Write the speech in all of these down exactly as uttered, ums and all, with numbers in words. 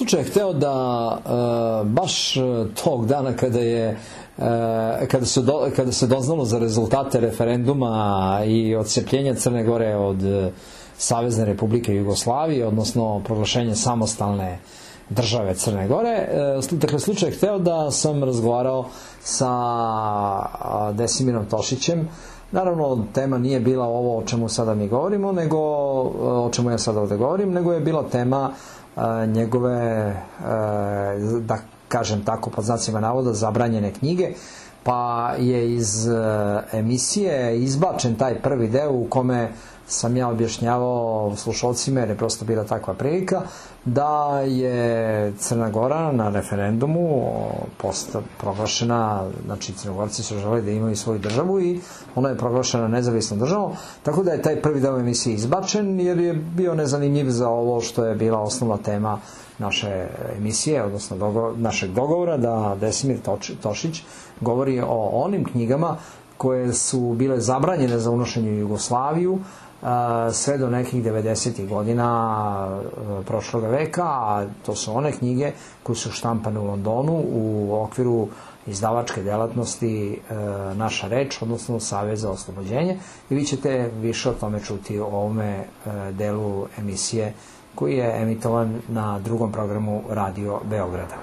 slučaj hteo da uh, baš tog dana kada je uh, kada, su do, kada se doznalo za rezultate referenduma i odcepljenja Crne Gore od uh, Savezne Republike Jugoslavije, odnosno proglašenje samostalne države Crne Gore. Uh, dakle, slučaj hteo da sam razgovarao sa uh, Desimirom Tošićem. Naravno, tema nije bila ovo o čemu sada mi govorimo, nego o čemu ja sada ovde govorim, nego je bila tema a, njegove, a, da kažem tako, pod znacima navoda, zabranjene knjige, pa je iz a, emisije izbačen taj prvi deo u kome sam ja objašnjavao slušalcima, jer je prosto bila takva prilika, da je Crna Gora na referendumu posta, proglašena, znači Crnogorci su želeli da imaju svoju državu i ona je proglašena nezavisnom državom, tako da je taj prvi deo emisije izbačen, jer je bio nezanimljiv za ovo što je bila osnovna tema naše emisije, odnosno dogo, našeg dogovora, da Desimir Tošić govori o onim knjigama koje su bile zabranjene za unošenje u Jugoslaviju, sve do nekih devedesetih godina prošloga veka, a to su one knjige koje su štampane u Londonu u okviru izdavačke delatnosti Naša reč, odnosno Savez za oslobođenje, i vi ćete više o tome čuti u ovome delu emisije koji je emitovan na drugom programu Radio Beograda.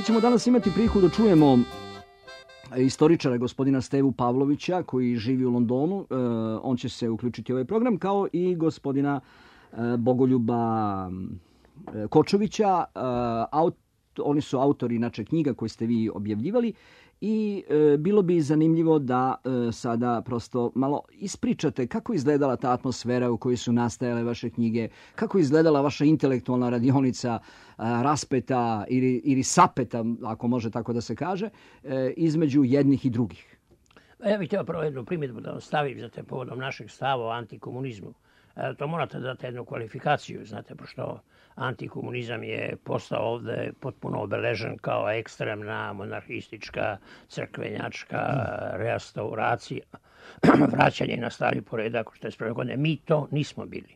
Ćemo danas imati priliku da čujemo istoričara gospodina Stevu Pavlovića koji živi u Londonu. On će se uključiti u ovaj program, kao i gospodina Bogoljuba Kočovića. Oni su autori inače knjiga koje ste vi objavljivali i e, bilo bi zanimljivo da e, sada prosto malo ispričate kako izgledala ta atmosfera u kojoj su nastajale vaše knjige, kako izgledala vaša intelektualna radionica, e, raspeta ili, ili sapeta, ako može tako da se kaže, e, između jednih i drugih. Ja bih htio prvo jednu primjedbu da stavim za te povodom našeg stava o antikomunizmu. E, to morate dati jednu kvalifikaciju, znate, pošto antikomunizam je postao ovde potpuno obeležen kao ekstremna, monarhistička, crkvenjačka restauracija, vraćanje na stari poredak od četrdeset prve godine. Mi to nismo bili.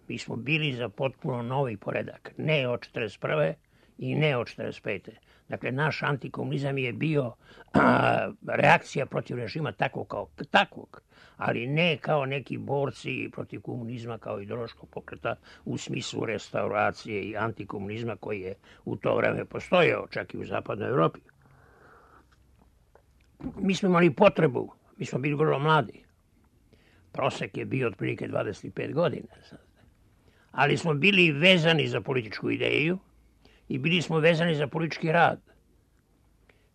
Mi smo bili za potpuno novi poredak. Ne od četrdeset prve i ne od četrdeset pete Dakle, naš antikomunizam je bio a, reakcija protiv režima takvog kao takvog, ali ne kao neki borci protiv komunizma kao ideološkog pokreta u smislu restauracije i antikomunizma koji je u to vreme postojao, čak i u zapadnoj Evropi. Mi smo imali potrebu, mi smo bili vrlo mladi. Prosek je bio otprilike dvadeset pet godina. Ali smo bili vezani za političku ideju i bili smo vezani za politički rad.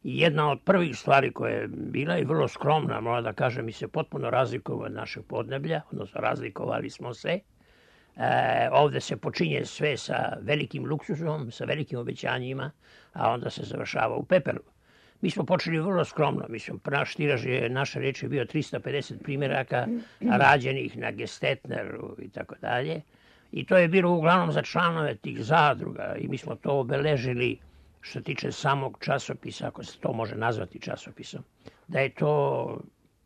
I jedna od prvih stvari koja je bila i vrlo skromna, moram da kažem, mi se potpuno razlikovali od našeg podneblja, odnosno razlikovali smo se. E, ovde se počinje sve sa velikim luksuzom, sa velikim obećanjima, a onda se završava u pepelu. Mi smo počeli vrlo skromno. Mislim, naš tiraž je, naša reč je bio tristo pedeset primjeraka rađenih na Gestetneru i tako dalje. I to je bilo uglavnom za članove tih zadruga i mi smo to obeležili što tiče samog časopisa, ako se to može nazvati časopisom, da je to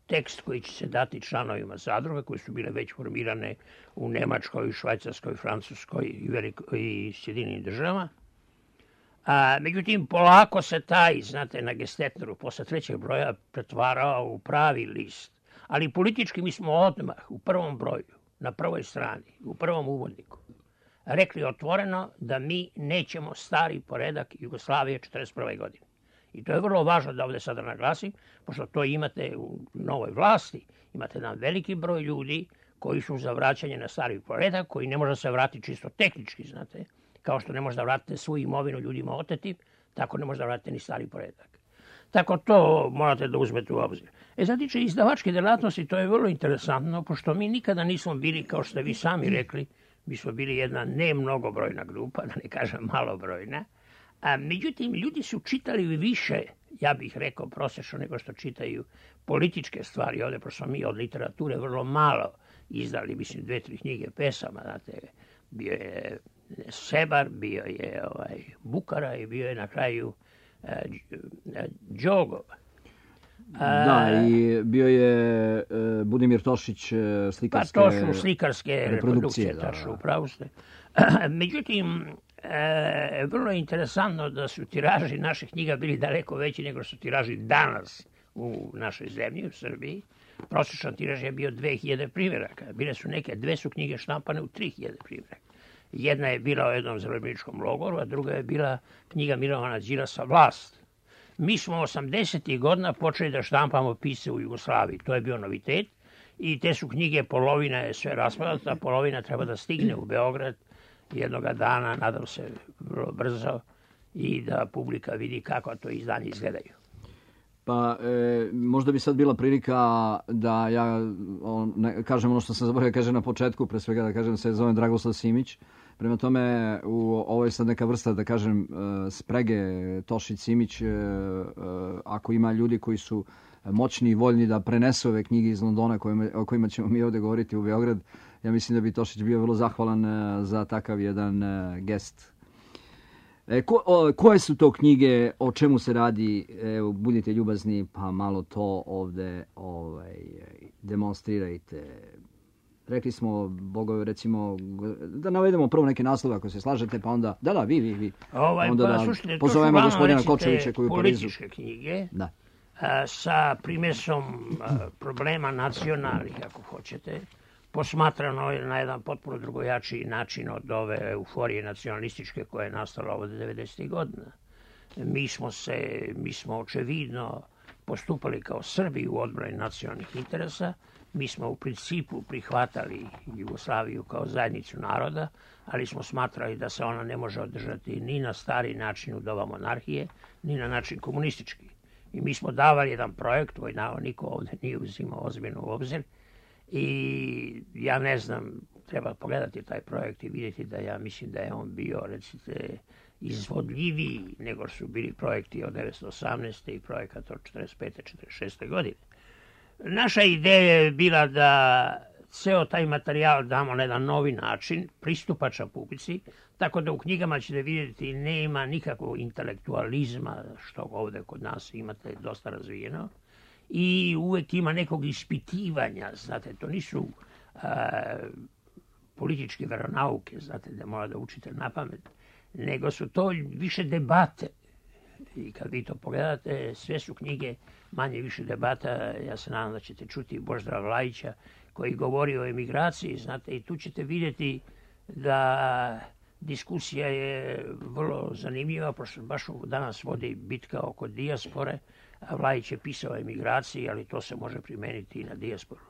tekst koji će se dati članovima zadruga koje su bile već formirane u Nemačkoj, Švajcarskoj, Francuskoj i, Veliko, i Sjedinjenim državama. A, međutim, polako se taj, znate, na Gestetneru posle trećeg broja pretvarao u pravi list. Ali politički mi smo odmah u prvom broju, na prvoj strani, u prvom uvodniku, rekli otvoreno da mi nećemo stari poredak Jugoslavije četrdeset prve. godine. I to je vrlo važno da ovdje sada naglasim, pošto to imate u novoj vlasti, imate jedan veliki broj ljudi koji su za vraćanje na stari poredak, koji ne može se vratiti čisto tehnički, znate, kao što ne može da vratite svu imovinu ljudima otetim, tako ne može da vratite ni stari poredak. Tako to morate da uzmete u obzir. E, za tiče izdavačke delatnosti, to je vrlo interesantno, pošto mi nikada nismo bili, kao što ste vi sami rekli, mi smo bili jedna ne mnogobrojna grupa, da ne kažem malobrojna. A, međutim, ljudi su čitali više, ja bih rekao prosječno, nego što čitaju političke stvari ovdje, pošto smo mi od literature vrlo malo izdali, mislim, dve, tri knjige pesama, znate, bio je Sebar, bio je ovaj, Bukara i bio je na kraju uh, Đogov. Da, i bio je uh, Budimir Tošić uh, slikarske Pa to su slikarske reprodukcije, reprodukcije, tačno, upravo ste. Međutim, e, vrlo je interesantno da su tiraži naših knjiga bili daleko veći nego su tiraži danas u našoj zemlji, u Srbiji. Prosječan tiraž je bio dve hiljade primjeraka. Bile su neke, dve su knjige štampane u tri hiljade primjeraka. Jedna je bila o jednom zarobljeničkom logoru, a druga je bila knjiga Milovana Đilasa Vlast. Mi smo osamdesetih godina počeli da štampamo pisce u Jugoslaviji. To je bio novitet. I te su knjige, polovina je sve rasprodata, polovina treba da stigne u Beograd jednoga dana, nadam se vrlo brzo, i da publika vidi kako to izdanje izgledaju. Pa e, možda bi sad bila prilika da ja on, ne, kažem ono što sam zaboravio kažem na početku, pre svega da kažem se zovem Dragoslav Simić. Prema tome, u, ovo je sad neka vrsta, da kažem, sprege Tošić-Simić, ako ima ljudi koji su moćni i voljni da prenesu ove knjige iz Londona kojima, o kojima ćemo mi ovdje govoriti u Beograd, ja mislim da bi Tošić bio vrlo zahvalan za takav jedan gest. E, ko, o, koje su to knjige, o čemu se radi, evo, budite ljubazni, pa malo to ovdje ovaj, demonstrirajte. Rekli smo, Bogovi, recimo, da navedemo prvo neke naslove ako se slažete, pa onda, da, da, vi, vi, vi. Ovaj, onda pa, da slušajte, pozovemo gospodina recite, Kočevića koji je u Parizu. Političke knjige, da. A, sa primesom a, problema nacionalnih, ako hoćete, posmatrano na jedan potpuno drugojačiji način od ove euforije nacionalističke koja je nastala ovdje devedesetih godina. Mi smo se, mi smo očevidno postupali kao Srbi u odbrani nacionalnih interesa. Mi smo u principu prihvatali Jugoslaviju kao zajednicu naroda, ali smo smatrali da se ona ne može održati ni na stari način u doba monarhije, ni na način komunistički. I mi smo davali jedan projekt koji niko ovdje nije uzimao ozbiljno u obzir. I ja ne znam, treba pogledati taj projekt i vidjeti da ja mislim da je on bio, recite, izvodljiviji nego su bili projekti od devetsto osamnaeste. i projekat od četrdeset pete četrdeset šeste. godine. Naša ideja je bila da ceo taj materijal damo na jedan novi način, pristupačan publici, tako da u knjigama ćete vidjeti nema nikakvog intelektualizma, što ovdje kod nas imate dosta razvijeno, i uvijek ima nekog ispitivanja, znate, to nisu a, političke veronauke, znate, da mora da učite na pamet, nego su to više debate. I kad vi to pogledate, sve su knjige manje više debata. Ja se nadam da ćete čuti Božidara Vlajića koji govori o emigraciji, znate, i tu ćete vidjeti da diskusija je vrlo zanimljiva, pošto baš danas vodi bitka oko dijaspore, a Vlajić je pisao o emigraciji, ali to se može primeniti i na dijasporu.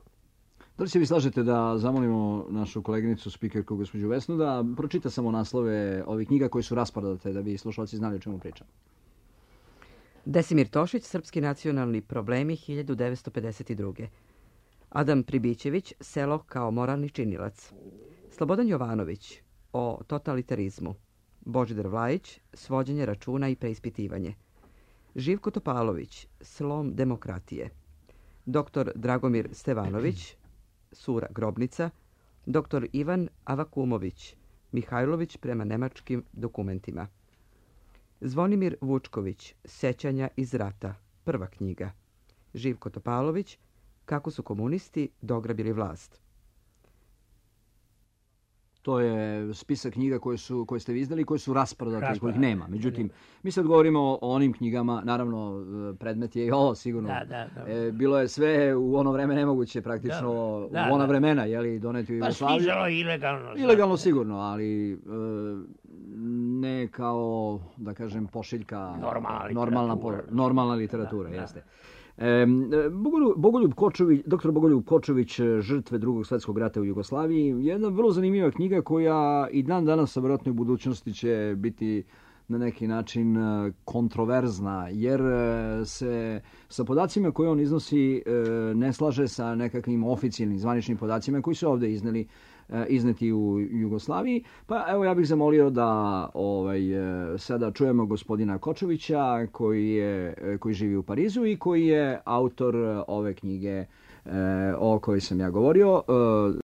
Da li se vi slažete da zamolimo našu koleginicu, spikerku, gospođu Vesnu, da pročita samo naslove ovih knjiga koji su rasprodate, da bi slušalci znali o čemu pričam? Desimir Tošić, Srpski nacionalni problemi, hiljadu devetsto pedeset druge. Adam Pribićević, Selo kao moralni činilac. Slobodan Jovanović, o totalitarizmu. Božidar Vlajić, Svođenje računa i preispitivanje. Živko Topalović, Slom demokratije. Doktor Dragomir Stevanović, Sura grobnica. Doktor Ivan Avakumović, Mihajlović prema nemačkim dokumentima. Zvonimir Vučković, Sećanja iz rata, prva knjiga. Živko Topalović, Kako su komunisti dograbili vlast. To je spisak knjiga koje, su, koje ste vi izdali i koje su rasprodate, Rasprodate. kojih nema. Međutim, mi sad govorimo o onim knjigama, naravno predmet je i ovo sigurno. Da, da, da. E, bilo je sve u ono vreme nemoguće praktično, Da, da, u ona da. vremena, jeli, doneti u Pa Jugoslaviju. stizalo je ilegalno. Ilegalno sigurno, ali e, ne kao, da kažem, pošiljka, Normalna normalna, literatura. po- normalna literatura, Da, da. jeste. E, Bogoljub, Bogoljub Kočović, doktor Bogoljub Kočović, žrtve drugog svjetskog rata u Jugoslaviji, jedna vrlo zanimljiva knjiga koja i dan danas, a vjerojatno u budućnosti će biti na neki način e, kontroverzna, jer e, se sa podacima koje on iznosi e, ne slaže sa nekakvim oficijalnim zvaničnim podacima koji su ovdje izneli e, izneti u Jugoslaviji. Pa evo ja bih zamolio da ovaj, e, sada čujemo gospodina Kočovića koji, je, e, koji živi u Parizu i koji je autor ove knjige e, o kojoj sam ja govorio. E,